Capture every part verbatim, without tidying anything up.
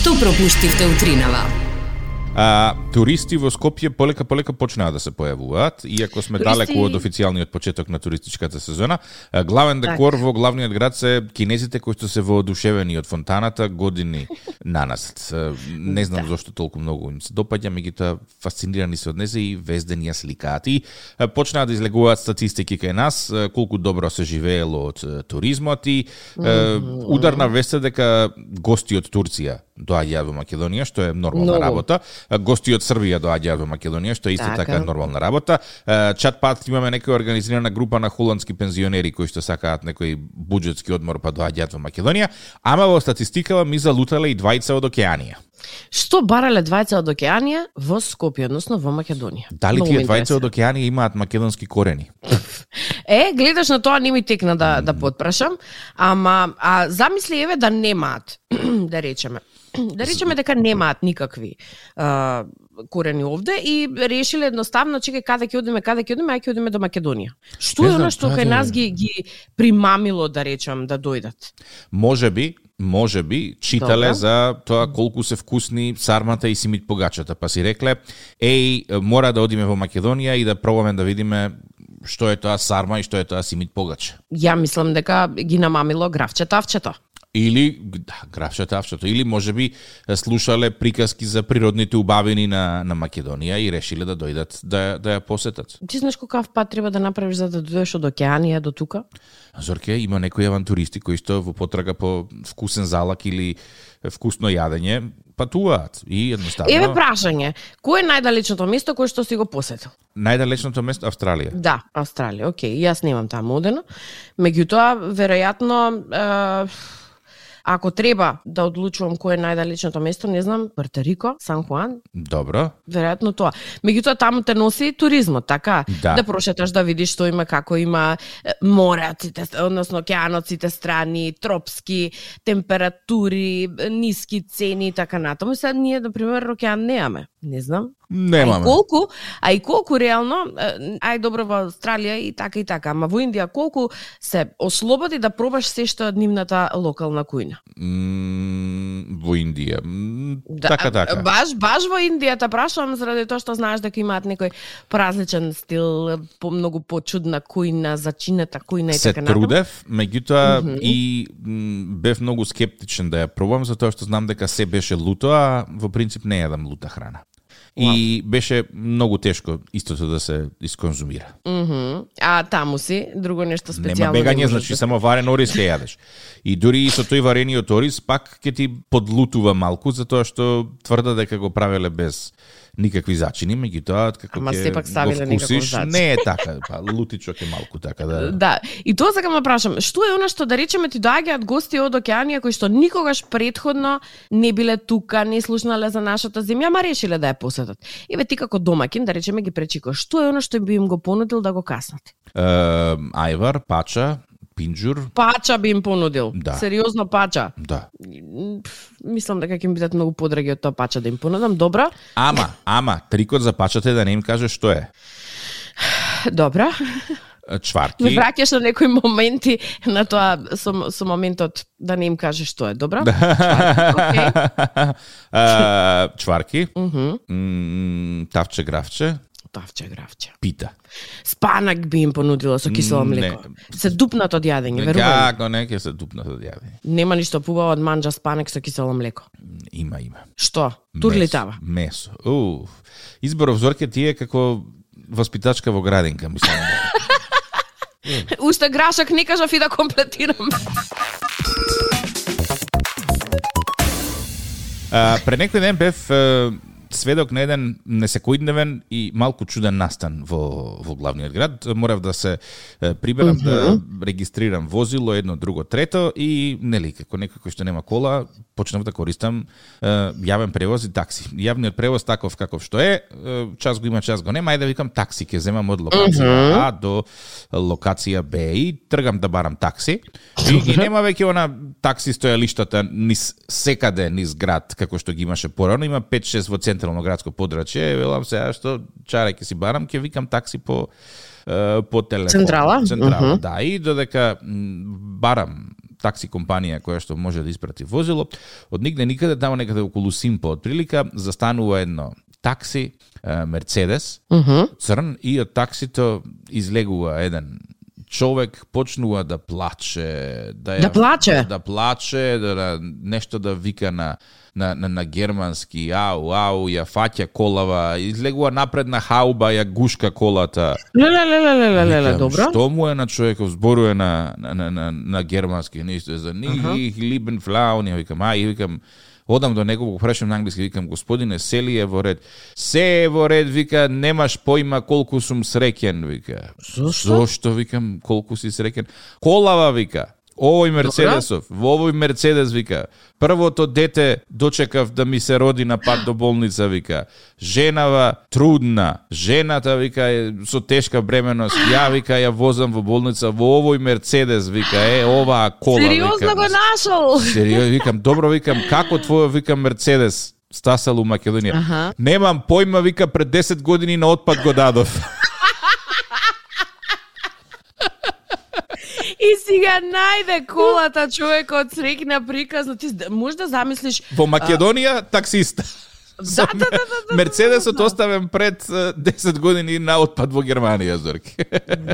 Што пропуштивте утринава? А, туристи во Скопје полека полека почнаа да се појавуваат, иако сме туристи... далеку од официјалниот почеток на туристичката сезона. Главен декор так. Во главниот град се кинезите кои што се воодушевени од фонтаната години нанасет. Не знам да. Зошто толку многу им се допаѓа, меѓутоа фасцинирани се од незе и вездени ја сликаат. И почнаа да излегуваат статистики кај нас колку добро се живеело од туризмот и mm-hmm. ударна вест е дека гости од Турција доаѓаат во Македонија, што е нормална no. работа. Гости од Србија доаѓаат во Македонија, што е исто така, така нормална работа. Чат пат имаме некоја организирана група на холандски пензионери кои што сакаат некој буџетски одмор па доаѓаат во Македонија, ама во статистикава ми залутале и двајца од Океанија. Што барале двајца од Океанија во Скопје, односно во Македонија? Дали тие двајца од Океанија имаат македонски корени? Е, гледаш на тоа не ми текна да, да потпрашам, ама а, замисли еве да немаат, да речеме. Да речеме дека немаат никакви а, корени овде и решиле едноставно, чекај каде ќе одиме, каде ќе одиме, ај ќе одиме до Македонија. Што е оно што кај нас ги ги примамило, да речам, да дојдат? Можеби Може би читале Добре. За тоа колку се вкусни сармата и симит погачата, па си рекле, еј, мора да одиме во Македонија и да пробаме да видиме што е тоа сарма и што е тоа симит погача. Ја мислам дека ги намамило гравче тавчето. Или, да, гравче тавчето, или можеби слушале приказки за природните убавини на, на Македонија и решиле да дојдат да, да ја посетат. Ти знаеш какав пат треба да направиш за да дојдеш од Океанија до тука? Зорке, има некои авантуристи кои што во потрага по вкусен залак или вкусно јадење патуваат и едноставно. Еве прашање, кој е најдалечното место кое што си го посетил? Најдалечното место Австралија. Да, Австралија. Океј, јас немам таму одено. Меѓутоа, веројатно е... ако треба да одлучувам кој е најдалечното место, не знам, Порто Рико, Сан Хуан. Добро. Веројатно тоа. Меѓутоа таму те носи туризмот, така? Да. Да прошеташ да видиш што има, како има море, односно океанот сите страни, тропски температури, ниски цени и така натаму. Сега ние, на пример, океан немаме. Не знам. Немаме. А и колку, а и колку реално, ај добро во Австралија и така и така, ама во Индија колку се ослободи да пробаш се што од нивната локална кујна? Mm, во Индија. Mm, да, така, така. Баш, баш во Индија те прашувам заради тоа што знаеш дека имаат некој поразличен стил, по многу почудна кујна, зачинета кујна и се така натаму. Се трудев, меѓутоа mm-hmm. и м, бев многу скептичен да ја пробам, затоа што знам дека се беше луто, а во принцип не јадам лута храна. И беше многу тешко истото да се исконзумира. Mm-hmm. А таму си, друго нешто специјално. Нема бегање, значи да... само варен ориз ќе јадеш. И дури и со тој варениот ориз пак ќе ти подлутува малку, затоа што тврда дека го правеле без никакви зачини, меѓутоа како ќе го вкусиш, не е така, па лутичок е малку така да. Да, и тоа сакам да прашам, што е она што да речеме ти доаѓаат гости од Океанија кои што никогаш претходно не биле тука, не слушнале за нашата земја, ама решиле да ја посетат. Еве ти како домакин, да речеме ги пречикаш, што е она што би им го понудил да го каснат? Е, ајвар, пача, пинџур. Пача би им понудил. Да. Сериозно пача. Да. Мислам дека ќе ми бидат многу подраги од тоа пача да им понудам. Добро. Ама, ама, трикот за пачата е да не им кажеш што е. Добро. Чварки. Ме враќаш на некои моменти на тоа со, со моментот да не им кажеш што е. Добро? Чварки. Okay. uh, чварки. Uh-huh. Mm, тавче гравче. Тавче гравче. Пита. Спанак би им понудила со кисело млеко. Не. Се дупнат од јадење, верувам. Како не ќе се дупнат од јадење. Нема ништо побаво од манџа спанак со кисело млеко. Има, има. Што? Турлитава? Месо. Уф. Изборов Зорке ти е како воспитачка во градинка, мислам. Уште грашак не кажав и да комплетирам. А, пред некој ден бев сведок на еден несекојдневен и малку чуден настан во, во главниот град. Морав да се приберам, uh-huh. да регистрирам возило, едно, друго, трето и, нели, како некој кој што нема кола, почнав да користам uh, јавен превоз и такси. Јавниот превоз таков каков што е, uh, час го има, час го нема, ајде да викам такси, ќе земам од локација uh-huh. А до локација Б и тргам да барам такси. И, uh-huh. и нема веќе она такси стојалиштата низ секаде низ град, како што ги имаше порано, има пет-шест во централно градско подрачје, велам сега што чаре ќе си барам, ќе викам такси по по телефон. Централа? Централа, uh-huh. да, и додека барам такси компанија која што може да испрати возило. Од нигде никаде, тамо некаде околу Симпо, од прилика, застанува едно такси, Мерцедес, uh-huh. црн, и од таксито излегува еден човек, почнува да плаче, да, ја, да плаче, да плаче, да, да нешто да вика на на на, на германски, ау, ау, ја фаќа колава, излегува напред на хауба, ја гушка колата. Леле, леле, леле, леле, добро. Што му е на човеков, зборува на на на на, на германски, нешто за ни либен флаун, ја викам, ај, викам, одам до него, го прашам на англиски, викам, господине, сели е во ред. Се е во ред, вика, немаш поима колку сум среќен, вика. Зошто? Зошто, викам, колку си среќен? Колава, вика. Овој Мерцедесов, во овој Мерцедес, вика, првото дете дочекав да ми се роди на пат до болница, вика. Женава трудна, жената, вика, е со тешка бременост, ја, вика, ја возам во болница во овој Мерцедес, вика, е, оваа кола, сериозно вика. го нашол? Сериозно, викам, добро, викам, како твојот, викам, Мерцедес стасал у Македонија? Аха. Немам појма, вика, пред десет години на отпад го дадов. И сега најде колата човекот среќна приказно. Ти можеш да замислиш... Во Македонија, таксиста. Да, да, да, да, да, Мерцедесот да, да. оставен пред десет години на отпад во Германија, Зорки.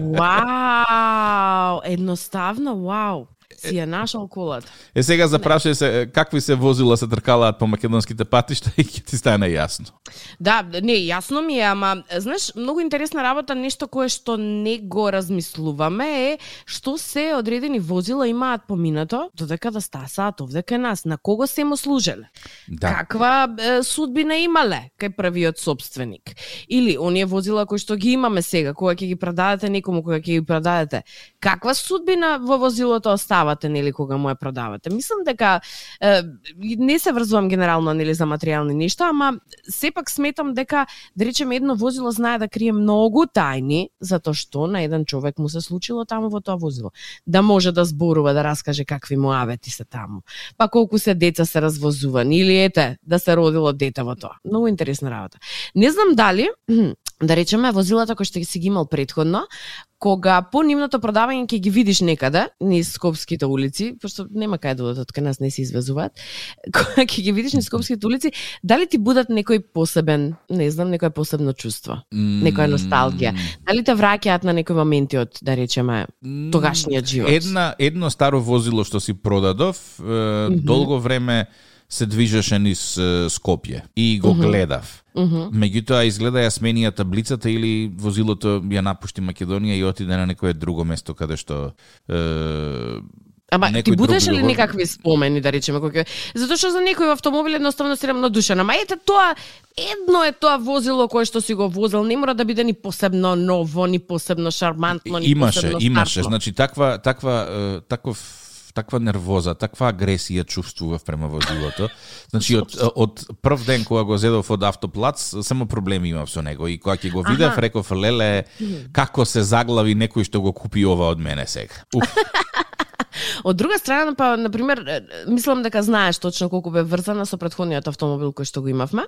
Вау, едноставно, вау. Си ја нашол колата. Е, сега запрашај се какви се возила се тркалаат по македонските патишта и ќе ти стане јасно. Да, не, јасно ми е, ама, знаеш, многу интересна работа, нешто кое што не го размислуваме е што се одредени возила имаат поминато, додека да стасаат овде кај нас, на кого се му служеле. Да. Каква е, судбина имале кај првиот собственик. Или оние возила кои што ги имаме сега, кога ќе ги продадете некому, кога ќе ги продадете. Каква судбина во возилото оставате, нели, кога му ја продавате? Мислам дека е, не се врзувам генерално, нели, за материјални нешта, ама сепак сметам дека, да речеме, едно возило знае да крие многу тајни, затоа што на еден човек му се случило таму во тоа возило. Да може да зборува, да раскаже какви му авети се таму. Па колку се деца се развозувани, или ете, да се родило дете во тоа. Многу интересна работа. Не знам дали, да речеме, возилата кои што си ги имал предходно, кога по нивното продавање ќе ги видиш некаде низ скопските улици, пошто нема кај да одат, кај нас не се извезуваат, кога ќе ги видиш низ скопските улици, дали ти будат некој посебен, не знам, некој посебно чувство, mm. некоја носталгија, дали те враќаат на некои моменти од, да речеме, тогашниот живот? Една, едно старо возило што си продадов, е, mm-hmm. долго време се движеше низ е, Скопје и го mm-hmm. гледав. Uh-huh. Меѓутоа изгледа ја сменија таблицата или возилото ја напушти Македонија и отиде на некое друго место каде што е, Ама ти будеш ли го... некакви спомени, да речеме, кој затоа што за некој автомобил едноставно си рамнодушен. Ама ете тоа, едно е тоа возило кое што си го возил, не мора да биде ни посебно ново, ни посебно шармантно, ни имаше, посебно имаше, имаше, стартло. значи таква таква таков таква нервоза, таква агресија чувствував према возилото. Значи од од прв ден кога го зедов од автоплац, само проблеми имав со него и кога ќе го видев, реков, леле, како се заглави некој што го купи ова од мене сега. Уф. Од друга страна, па, например, мислам дека знаеш точно колку бе врзана со претходниот автомобил кој што го имавме,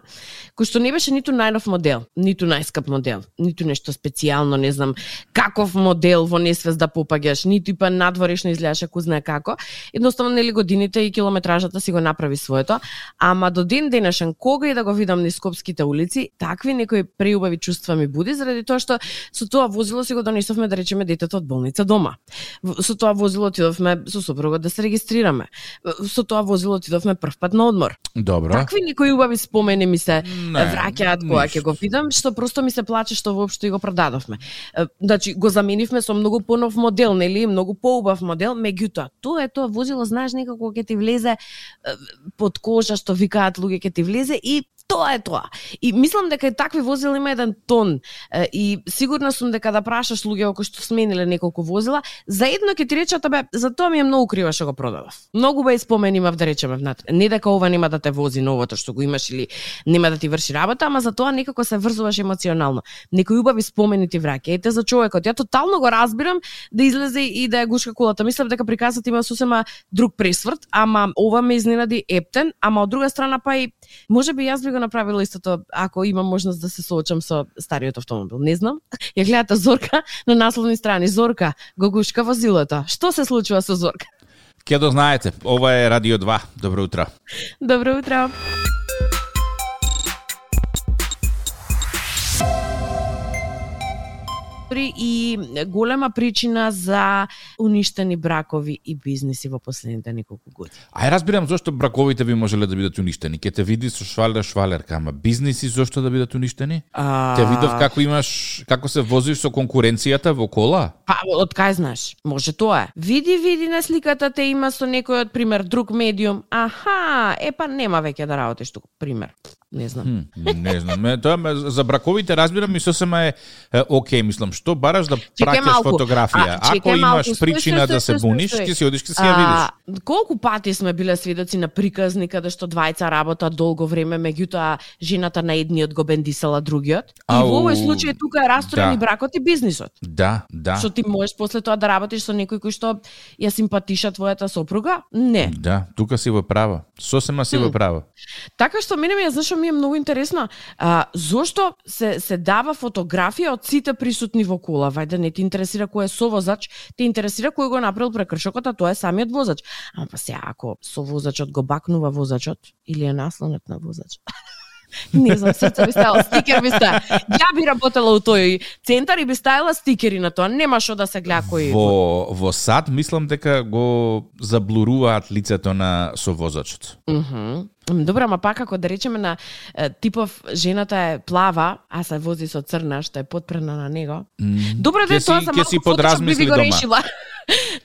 кој што не беше ниту најнов модел, ниту најскап модел, ниту нешто специјално, не знам, каков модел во несвест да попаѓаш, ниту па надворешно изгледаше ку знае како. Едноставно, нели, годините и километражата си го направи своето, ама до ден денешен, кога и да го видам низ скопските улици, такви некои преубави чувства ми буди, заради тоа што со тоа возило си го донесовме, да речеме, детето од болница дома. Со тоа возило отидовме со сопругот да се регистрираме. Со тоа возило отидовме прв пат на одмор. Добро. Такви некои убави спомени ми се не, враќаат кога ќе го видам, што просто ми се плаче што воопшто и го продадовме. Значи го заменивме со многу понов модел, нели, многу поубав модел, меѓутоа тоа е тоа возило, знаеш, некако ќе ти влезе под кожа, што викаат луѓе, ќе ти влезе и тоа е тоа. И мислам дека и такви возила има еден тон и сигурна сум дека да прашаш луѓе кои што смениле неколку возила, заедно ќе ти речат, абе, за тоа ми е многу крива што го продадов. Многу бе спомени имав, да речеме, внатре. Не дека ова нема да те вози новото што го имаш или нема да ти врши работа, ама за тоа некако се врзуваш емоционално. Некои убави спомени ти враќа. Ете за човекот, ја тотално го разбирам да излезе и да ја гушка колата. Мислам дека приказот има сосема друг пресврт, ама ова ме изненади ептен, ама од друга страна па и можеби јас би го направила истото ако имам можност да се соочам со стариот автомобил. Не знам. Ја гледате Зорка на насловни страни. Зорка го гушка возилото. Што се случува со Зорка? Ке да знаете, ова е Радио два. Добро утро. Добро утро. И голема причина за уништени бракови и бизниси во последните неколку години. Ај разбирам зошто браковите би можеле да бидат уништени. Ке те види со швалер швалерка, ама бизниси зошто да бидат уништени? А... Те видов како имаш, како се возиш со конкуренцијата во кола? Па, од кај знаеш? Може тоа е. Види, види на сликата те има со некој од пример друг медиум. Аха, е па нема веќе да работиш тука, пример. Не знам. Хм, не знам. Ме, тоа ме, за браковите разбирам и сосема е, е окей, мислам, што бараш да праќаш фотографија. А, Ако имаш малку, причина стој, стој, да се буниш, ќе си одиш, ќе си ја видиш. Колку пати сме биле сведоци на приказни каде што двајца работат долго време, меѓутоа жената на едниот го бендисала другиот. И Ау, во овој случај тука е расторен да. и бракот и бизнисот. Да, да. Што ти можеш после тоа да работиш со некој кој што ја симпатиша твојата сопруга? Не. Да, тука си во права. Сосема си во права. Така што мене ми ја знаеш ми е многу интересно. А, зошто се се дава фотографија од сите присутни во кола? Вајде не ти интересира кој е совозач, те интересира кој го направил прекршокот, а тоа е самиот возач. Ама па сега ако совозачот го бакнува возачот или е наслонет на возач. Не знам, срце би ставила стикер би ставила. Ја би работела у тој центар и би ставила стикери на тоа. Нема шо да се гледа кој. Во во САД мислам дека го заблуруваат лицето на совозачот. Мхм. Добро, ама пак ако да речеме на типов жената е плава, а се вози со црна што е подпрена на него. Mm. Добро да тоа за малку фотошоп би ви го решила.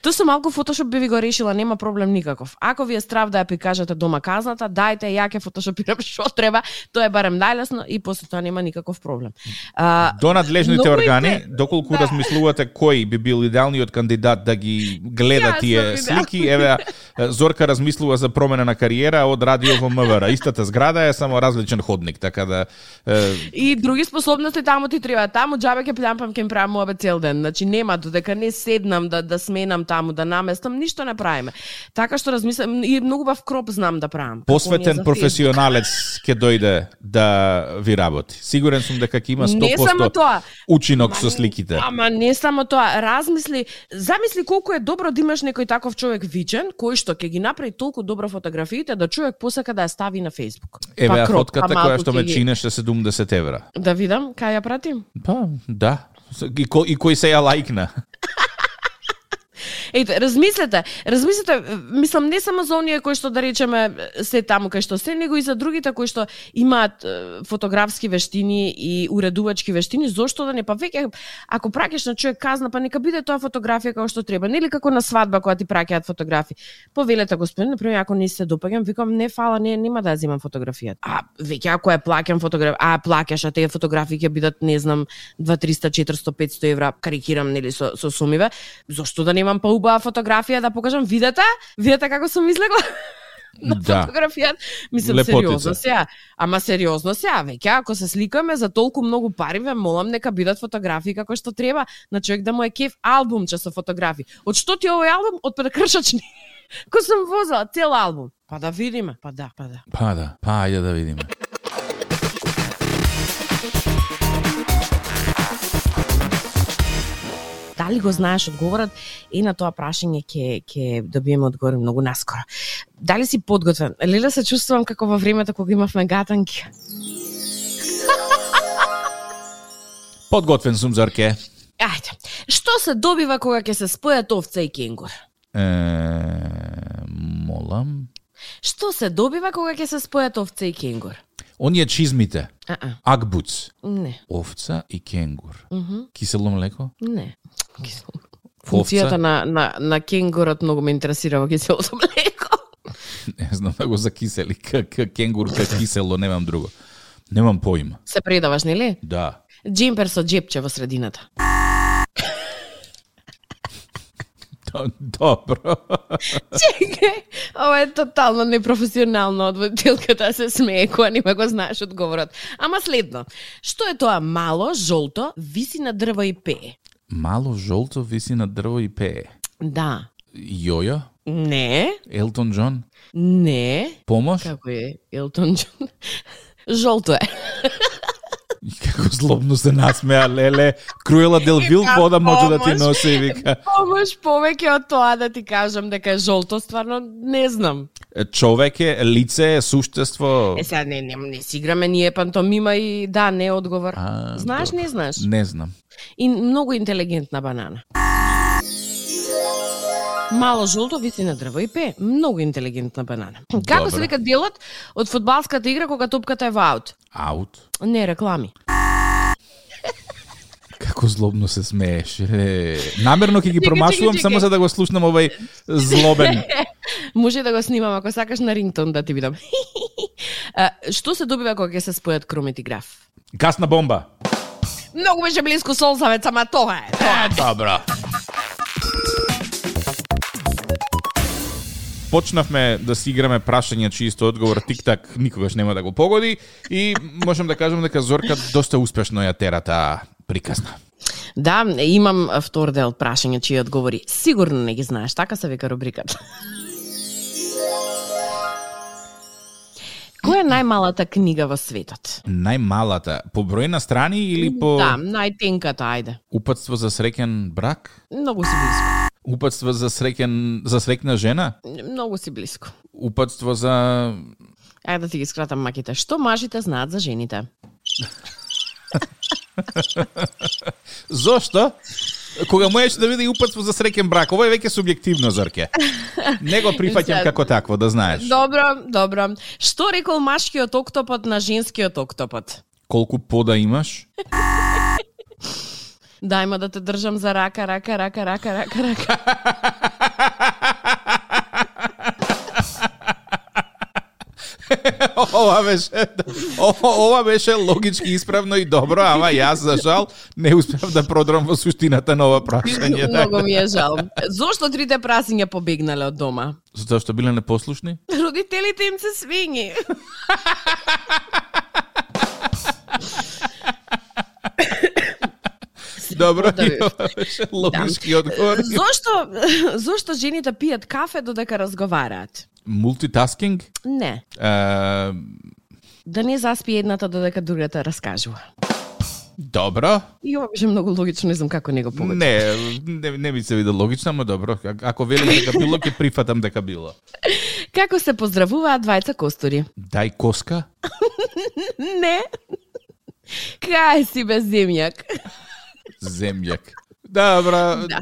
Тоа со малку фотошоп би ви го решила, нема проблем никаков. Ако ви е страв да ја прикажете дома казната, дајте ја ќе фотошопирам што треба, тоа е барем најлесно и после тоа нема никаков проблем. А, До надлежните органи, е... доколку да. размислувате кој би бил идеалниот кандидат да ги гледа тие слики, еве Зорка размислува за промена на кариера од радио во МВР. Истата зграда е само различен ходник, така да е... И други способности таму ти треба. Таму џабе ќе плямпам ќе им правам обед цел ден. Значи нема додека не седнам да да сменам таму, да наместам, ништо не правиме. Така што размислам и многу бав кроп знам да правам. Посветен професионалец ќе дојде да ви работи. Сигурен сум дека ќе има сто проценти учинок со сликите. Ама не само тоа, размисли, замисли колку е добро да имаш некој таков човек вичен, кој што ќе ги направи толку добро фотографиите да човек посака да ја стави на Facebook. Еве па, фотката која што ме чинеше седумдесет евра. Да видам, кај ја пратим? Па, да. И, ко, и кој се ја лајкна. Ете, размислете, размислете, мислам не само за оние кои што да речеме се таму кај што се, него и за другите кои што имаат фотографски вештини и уредувачки вештини, зошто да не, па веќе ако праќаш на човек казна, па нека биде тоа фотографија како што треба, нели како на свадба кога ти праќаат фотографии. Повелете господин, например, ако не се допаѓам, викам не фала, не нема да ја земам фотографијата. А веќе ако ја плаќам фотографија, а плаќаш, а тие фотографии ќе бидат не знам две триста четиристо петсто евра, карикирам нели со со сумиве, зошто да немам па убава фотографија да покажам, видете? Видете како сум излегла? На да. Фотографијата. Мислам, лепотица. Сериозно сега. Ама сериозно сега, веќе ако се сликаме за толку многу пари, ве молам нека бидат фотографии како што треба, на човек да му е кеф албумче со фотографии. Од што ти овој албум? Од прекршачни. Кој сум возела цел албум. Па да видиме, па да, па да. Па да, па ајде да видиме. Дали го знаеш одговорот? И на тоа прашање ќе ќе добиеме одговор многу наскоро. Дали си подготвен? Леле се чувствувам како во времето кога имавме гатанки. Подготвен сум, Зорке. Ајде. Што се добива кога ќе се спојат овца и кенгур? Е, молам. Што се добива кога ќе се спојат овца и кенгур? Оние чизмите. А-а. Акбуц. Не. Овца и кенгур. Uh -huh. Кисело млеко? Не. Кисело. Функцијата на, на, на кенгурот многу ме интересира во киселото млеко. Не знам да го закисели. Кенгур ка кисело, немам друго. Немам поима. Се предаваш, нели? Да. Джемпер со джепче во средината. Добро. Чекај, ова е тотално непрофесионално од водителката се смее кога нема го знаеш одговорот. Ама следно, што е тоа мало, жолто, виси на дрво и пее? Мало, жолто, виси на дрво и пее? Да. Јојо? Не. Елтон Џон? Не. Помош? Како е Елтон Џон? Жолто е. И како злобно се насмеа, леле. Круела дел Вил вода може да ти носи и вика. Помош повеќе од тоа да ти кажам дека е жолто, стварно не знам. Човек е, лице е, суштество. Е, сега не, не, не си играме ние пантомима и да, не одговор. А, знаеш, добро. Не знаеш? Не знам. И многу интелигентна банана. Мало жолто виси на дрво и пее. Многу интелигентна банана. Како се вика делот од фудбалската игра кога топката е во аут? Аут? Не, реклами. Како злобно се смееш. Е, намерно ќе ги промашувам само за да го слушнам овај злобен. Може да го снимам ако сакаш на рингтон да ти видам. Што се добива кога ќе се спојат кромет и граф? Гасна бомба. Многу беше близко Солзавец, ама тоа е. Тоа е добро. Почнавме да си играме прашање чисто одговор, тик-так никогаш нема да го погоди и можам да кажам дека Зорка доста успешно ја тера таа приказна. Да, имам втор дел прашање чии одговори. Сигурно не ги знаеш, така се вика рубриката. Која е најмалата книга во светот? Најмалата? По број на страни или по... Да, најтенката, ајде. Упатство за среќен брак? Многу си близко. Упатство за среќен за среќна жена? Многу си близко. Упатство за... Ајде да ти ги скратам маките. Што мажите знаат за жените? Зошто? Кога можеш да биде упатство за среќен брак, ова е веќе субјективно, Зорке. Не го прифаќам како такво, да знаеш. Добро, добро. Што рекол машкиот октопод на женскиот октопод? Колку пода имаш? Дајма да те држам за рака, рака, рака, рака, рака, рака. Ова беше, ова беше логички исправно и добро, ама јас за жал не успев да продрам во суштината на ова прашање. Многу ми е жал. Зошто трите прасиња побегнале од дома? Затоа што биле непослушни? Родителите им се свињи. Добро, ова беше логички одговор. Зошто, зошто жените пијат кафе додека разговараат? Мултитаскинг? Не. Uh... Да не заспи едната додека другата раскажува. Добро. И ова беше многу логично, не знам како не го погоди. Не, не, не ми се виде логично, но добро. Ако велим дека било, ќе прифатам дека било. Како се поздравуваат двајца костури? Дај коска? Не. Кај си без земјак? Земјак. Добро. Да.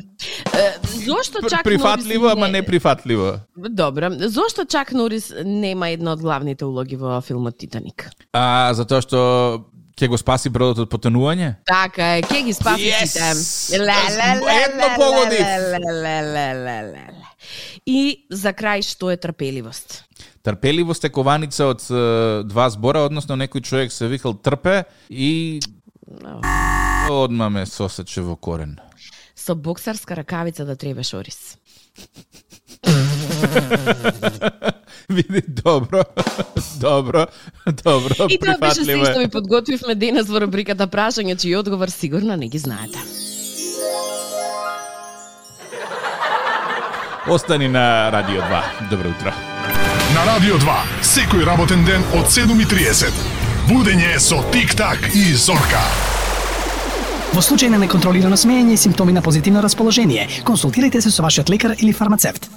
Зошто Чак прифатливо, Норис ама не прифатливо. Добро. Зошто Чак Норис нема една од главните улоги во филмот Титаник? А, затоа што ќе го спаси бродот од потонување? Така е, ќе ги спаси сите. Едно погодив. И за крај, што е трпеливост? Трпеливост е кованица од два збора, односно некој човек се викал трпе и одма ме сосече во корен. Со боксарска ракавица да требеш ориз. Види, добро, добро, добро, и тоа беше се што ви подготвивме денес во рубриката прашање чиј одговор сигурно не ги знаете. Остани на Радио два. Добро утро. На Радио два, секој работен ден од седум и триесет. Будење со Тик-так и Зорка. Во случај на неконтролирано смеење и симптоми на позитивно расположение, консултирайте се со вашиот лекар или фармацевт.